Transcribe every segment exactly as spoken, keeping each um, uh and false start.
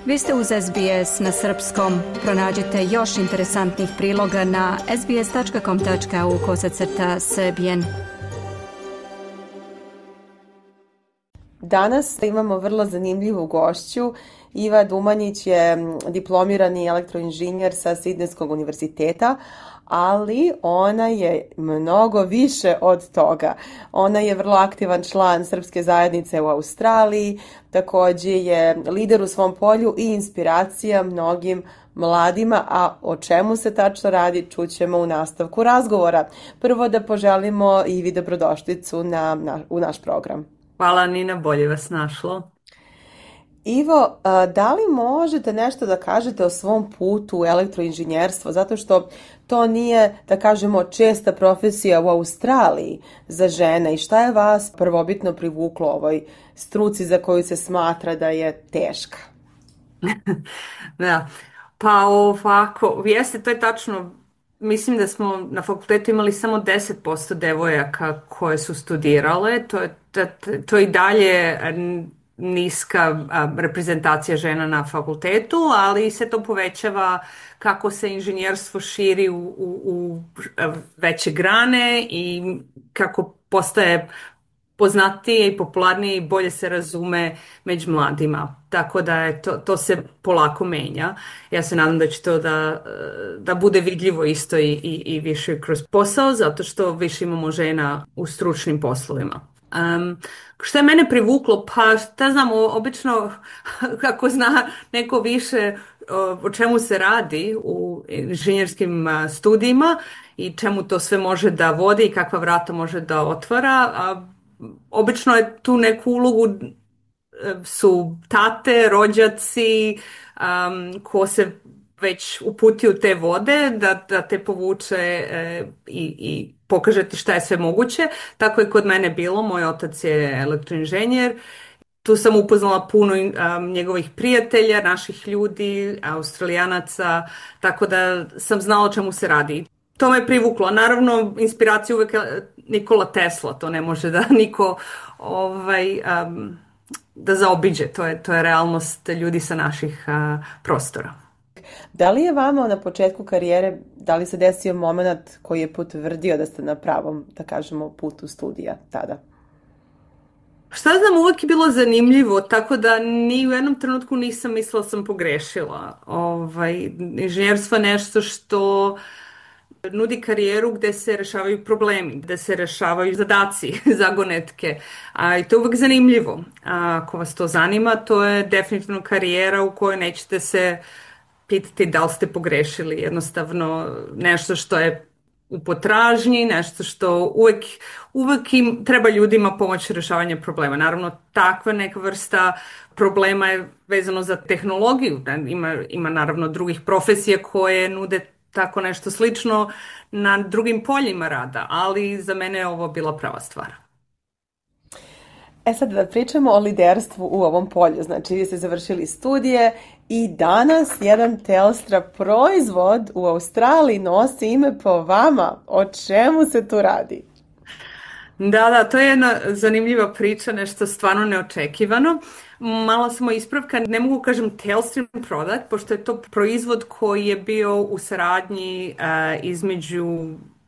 Vi ste uz S B S na srpskom. Pronađite još interesantnih priloga na sbs.com.au kosacrta srbijen. Danas imamo vrlo zanimljivu gošću. Iva Dumanjić je diplomirani elektroinženjer sa Sidnejskog univerziteta, ali ona je mnogo više od toga. Ona je vrlo aktivan član srpske zajednice u Australiji, također je lider u svom polju i inspiracija mnogim mladima, a o čemu se tačno radi čućemo u nastavku razgovora. Prvo da poželimo Ivi dobrodošlicu na, na, u naš program. Hvala Nina, bolje vas našlo. Ivo, da li možete nešto da kažete o svom putu u elektroinženjerstvo, zato što to nije, da kažemo, česta profesija u Australiji za žene i šta je vas prvobitno privuklo ovoj struci za koju se smatra da je teška? Da, pa ovako, jeste, to je tačno. Mislim da smo na fakultetu imali samo deset posto devojaka koje su studirale, to je, to, to je i dalje niska reprezentacija žena na fakultetu, ali se to povećava kako se inženjerstvo širi u, u, u veće grane i kako postaje poznatije i popularnije i bolje se razume među mladima. Tako da je to, to se polako menja. Ja se nadam da će to da, da bude vidljivo isto i, i, i više kroz posao, zato što više imamo žena u stručnim poslovima. Um, što je mene privuklo? Pa šta znam, obično kako zna neko više o, o čemu se radi u inženjerskim studijima i čemu to sve može da vodi i kakva vrata može da otvara, a obično je tu neku ulogu su tate, rođaci, um, ko se već uputi u te vode, da, da te povuče e, i, i pokaže ti šta je sve moguće. Tako je kod mene bilo. Moj otac je elektroinženjer. Tu sam upoznala puno um, njegovih prijatelja, naših ljudi, Australijanaca, tako da sam znala o čemu se radi. To me privuklo. Naravno, inspiracija uvek Nikola Tesla, to ne može da niko ovaj, um, da zaobiđe. To je, to je realnost ljudi sa naših uh, prostora. Da li je vama na početku karijere, da li se desio moment koji je potvrdio da ste na pravom, da kažemo, putu studija tada? Šta znam, uvijek je bilo zanimljivo, tako da ni u jednom trenutku nisam mislila sam pogrešila. Ovaj, inženjerstvo je nešto što nudi karijeru gde se rešavaju problemi, gde se rešavaju zadaci, zagonetke. A, i to je uvijek zanimljivo. A, ako vas to zanima, to je definitivno karijera u kojoj nećete se pitati da li ste pogrešili. Jednostavno nešto što je u potražnji, nešto što uvijek, uvijek im treba ljudima pomoći rješavanja problema. Naravno, takva neka vrsta problema je vezano za tehnologiju. Ima, ima naravno drugih profesija koje nude tako nešto slično na drugim poljima rada, ali za mene je ovo bila prava stvar. E sad da pričamo o liderstvu u ovom polju. Znači, vi ste završili studije i danas jedan Telstra proizvod u Australiji nosi ime po vama. O čemu se tu radi? Da, da, to je jedna zanimljiva priča, nešto stvarno neočekivano. Malo samo ispravka, ne mogu kažem Telstra product, pošto je to proizvod koji je bio u saradnji uh, između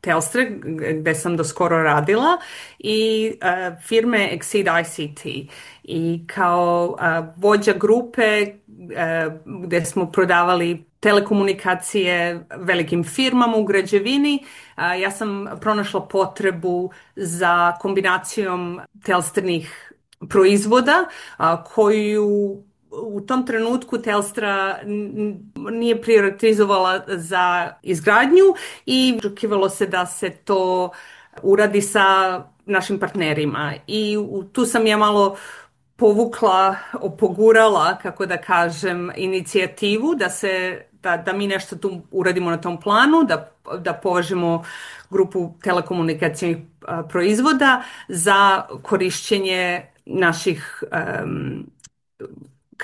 Telstra, gde sam do skoro radila, i uh, firme Exceed I C T. I kao uh, vođa grupe uh, gde smo prodavali telekomunikacije velikim firmama u građevini, uh, ja sam pronašla potrebu za kombinacijom Telstrinih proizvoda uh, koju u tom trenutku Telstra nije prioritizovala za izgradnju i očekivalo se da se to uradi sa našim partnerima. I tu sam ja malo povukla, opogurala, kako da kažem, inicijativu da se da, da mi nešto tu uradimo na tom planu, da, da povežemo grupu telekomunikacijnih proizvoda za korišćenje naših um,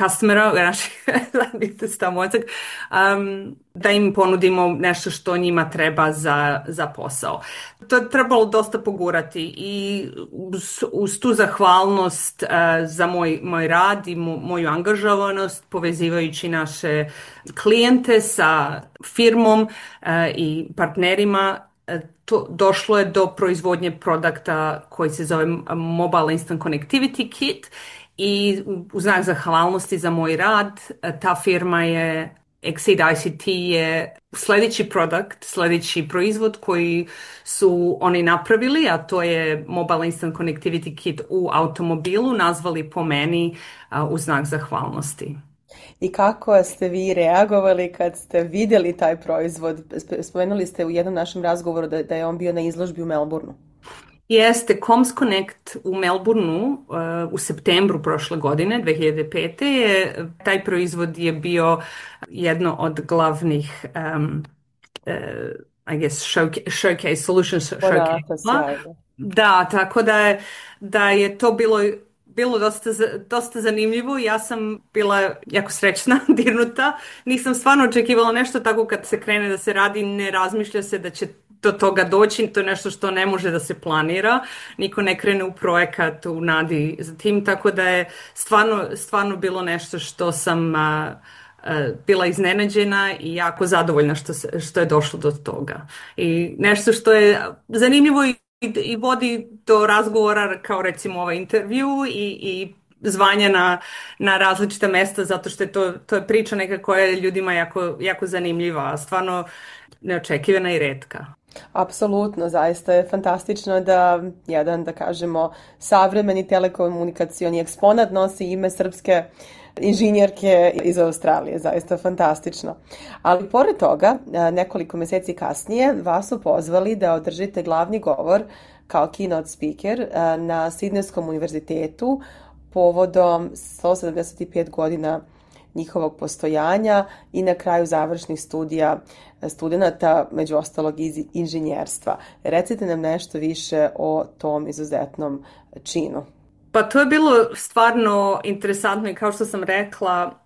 customera, naših zajednica mozak, um, da im ponudimo nešto što njima treba za, za posao. To je trebalo dosta pogurati i uz, uz tu zahvalnost uh, za moj, moj rad i mo, moju angažovanost povezivajući naše klijente sa firmom uh, i partnerima, to, došlo je do proizvodnje produkta koji se zove Mobile Instant Connectivity Kit i u znak zahvalnosti za moj rad ta firma je Exceed I C T je sljedeći produkt, sljedeći proizvod koji su oni napravili, a to je Mobile Instant Connectivity Kit u automobilu, nazvali po meni u znak zahvalnosti. I kako ste vi reagovali kad ste vidjeli taj proizvod? Spomenuli ste u jednom našem razgovoru da, da je on bio na izložbi u Melbourneu. Jeste, Comms Connect u Melbourneu uh, u septembru prošle godine, dvije hiljade pete. Je, taj proizvod je bio jedno od glavnih um, uh, I guess showcase, showcase solutions showcase. Da, tako da je, da je to bilo bilo dosta, dosta zanimljivo. Ja sam bila jako srećna, dirnuta. Nisam stvarno očekivala nešto tako kad se krene da se radi, ne razmišlja se da će do toga doći, to je nešto što ne može da se planira. Niko ne krene u projekat u nadi za tim, tako da je stvarno, stvarno bilo nešto što sam a, a, bila iznenađena i jako zadovoljna što, se, što je došlo do toga. I nešto što je zanimljivo i i vodi do razgovora kao recimo ovaj intervju i, i zvanja na, na različita mesta zato što je to, to je priča neka koja je ljudima jako, jako zanimljiva, stvarno neočekivana i retka. Apsolutno, zaista je fantastično da jedan, da kažemo, savremeni telekomunikacioni eksponat nosi ime srpske inženjerke iz Australije, zaista fantastično. Ali pored toga, nekoliko mjeseci kasnije vas su pozvali da održite glavni govor kao keynote speaker na Sidnejskom univerzitetu povodom sto sedamdeset pet godina njihovog postojanja i na kraju završnih studija studenata, među ostalog iz inženjerstva. Recite nam nešto više o tom izuzetnom činu. Pa to je bilo stvarno interesantno i kao što sam rekla,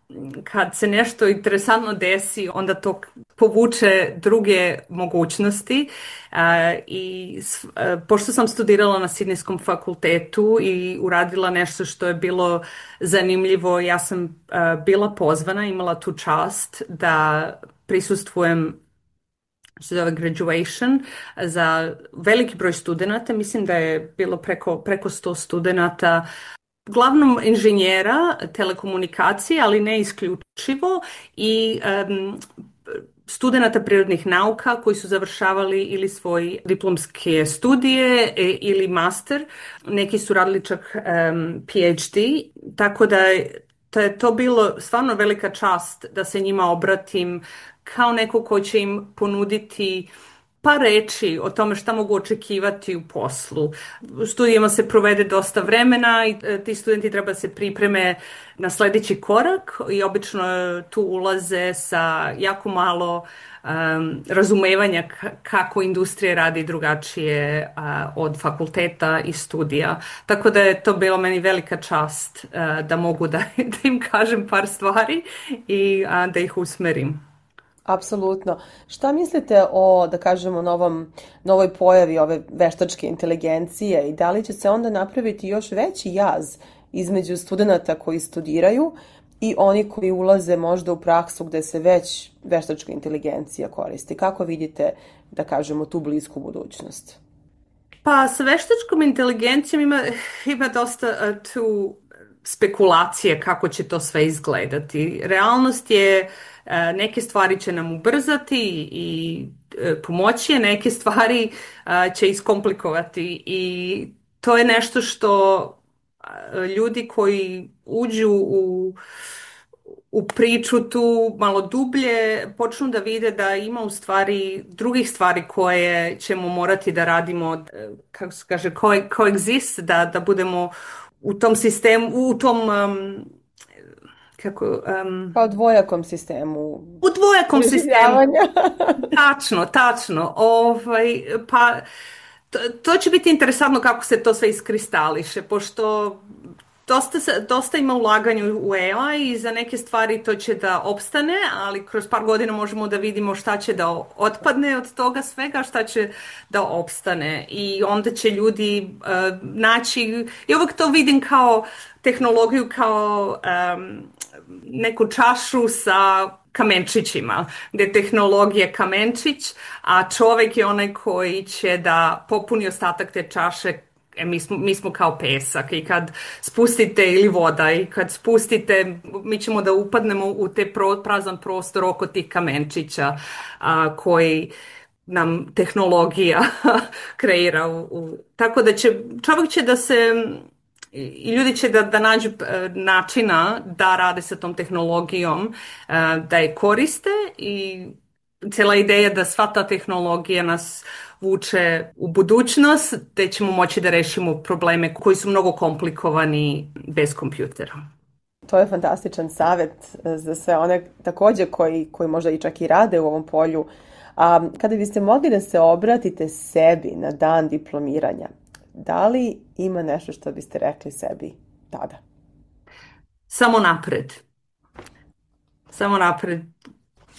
kad se nešto interesantno desi, onda to povuče druge mogućnosti. Uh, I uh, pošto sam studirala na Sidnejskom fakultetu i uradila nešto što je bilo zanimljivo, ja sam uh, bila pozvana, imala tu čast da prisustvujem što se zove graduation za veliki broj studenata, mislim da je bilo preko, preko sto studenata, uglavnom inženjera telekomunikacije, ali ne isključivo, i um, studenata prirodnih nauka koji su završavali ili svoje diplomske studije e, ili master, neki su radili čak um, P H D, tako da je to bilo stvarno velika čast da se njima obratim kao neko ko će im ponuditi par reči o tome šta mogu očekivati u poslu. U studijama se provede dosta vremena i ti studenti treba da se pripreme na sljedeći korak i obično tu ulaze sa jako malo um, razumevanja kako industrija radi drugačije uh, od fakulteta i studija. Tako da je to bilo meni velika čast uh, da mogu da, da im kažem par stvari i uh, da ih usmerim. Apsolutno. Šta mislite o, da kažemo, novom, novoj pojavi ove veštačke inteligencije i da li će se onda napraviti još veći jaz između studenata koji studiraju i oni koji ulaze možda u praksu gde se već veštačka inteligencija koristi? Kako vidite, da kažemo, tu blisku budućnost? Pa sa veštačkom inteligencijom ima, ima dosta uh, tu spekulacije kako će to sve izgledati. Realnost je neke stvari će nam ubrzati i pomoći, neke stvari će iskomplikovati i to je nešto što ljudi koji uđu u, u priču tu malo dublje počnu da vide da ima u stvari drugih stvari koje ćemo morati da radimo, kako se kaže, coexist, da, da budemo u tom sistemu, u tom um, kako... Um, pa u dvojakom sistemu. U dvojakom sistemu. Tačno, tačno. Ovaj, pa to, to će biti interesantno kako se to sve iskristališe, pošto dosta, dosta ima ulaganju u A I i za neke stvari to će da opstane, ali kroz par godina možemo da vidimo šta će da otpadne od toga svega, šta će da opstane. I onda će ljudi uh, naći, i uvijek to vidim kao tehnologiju, kao um, neku čašu sa kamenčićima, gdje je tehnologija kamenčić, a čovjek je onaj koji će da popuni ostatak te čaše. E, mi, smo, mi smo kao pesak i kad spustite, ili voda, i kad spustite, mi ćemo da upadnemo u te pro, prazan prostor oko tih kamenčića a, koji nam tehnologija kreira. U, u, tako da će, čovjek će da se, i ljudi će da, da nađu načina da rade sa tom tehnologijom, da je koriste, i cijela ideja da sva ta tehnologija nas vuče u budućnost, te ćemo moći da rešimo probleme koji su mnogo komplikovani bez kompjutera. To je fantastičan savjet za sve one također koji, koji možda i čak i rade u ovom polju. A kada biste mogli da se obratite sebi na dan diplomiranja, da li ima nešto što biste rekli sebi tada? Samo napred. Samo napred.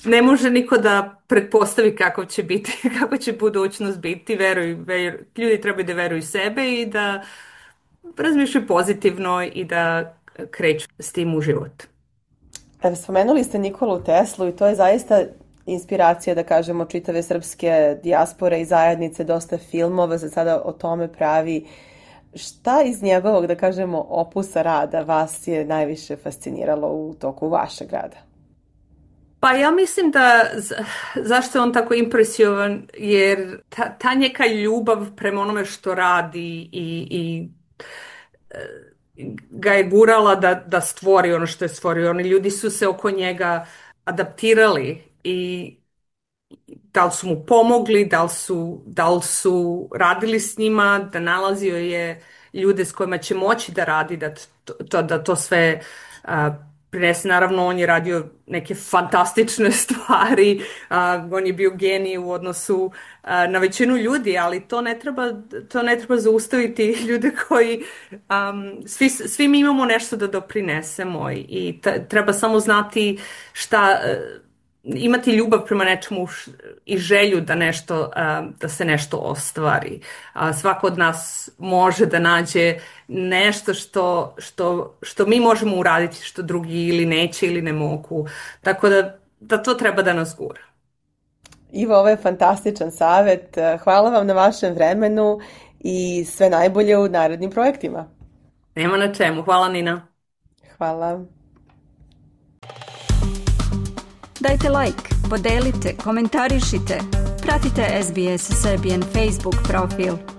Ne može niko da pretpostavi kako će biti, kako će budućnost biti. Veruj, veruj, ljudi trebaju da veruju sebe i da razmišljaju pozitivno i da kreću s tim u život. Evo, spomenuli ste Nikolu Teslu i to je zaista inspiracija, da kažemo, čitave srpske dijaspore i zajednice, dosta filmova se sada o tome pravi. Šta iz njegovog, da kažemo, opusa rada vas je najviše fasciniralo u toku vašeg rada? Pa ja mislim da zašto je on tako impresiovan, jer ta, ta njeka ljubav prema onome što radi i, i ga je gurala da, da stvori ono što je stvorio. Oni ljudi su se oko njega adaptirali i da li su mu pomogli, da li su, da li su radili s njima, da nalazio je ljude s kojima će moći da radi, da to, to, da to sve uh, prinese. Naravno, on je radio neke fantastične stvari, uh, on je bio genij u odnosu uh, na većinu ljudi, ali to ne treba, to ne treba zaustaviti ljude koji, um, svi, svi mi imamo nešto da doprinesemo i, i t- treba samo znati šta, uh, imati ljubav prema nečemu i želju da nešto, da se nešto ostvari. Svako od nas može da nađe nešto što, što, što mi možemo uraditi, što drugi ili neće ili ne mogu. Tako da, da to treba da nas gura. Ivo, ovo je fantastičan savjet. Hvala vam na vašem vremenu i sve najbolje u narednim projektima. Nema na čemu. Hvala, Nina. Hvala. Dajte like, podelite, komentarišite, pratite S B S Serbian Facebook profil.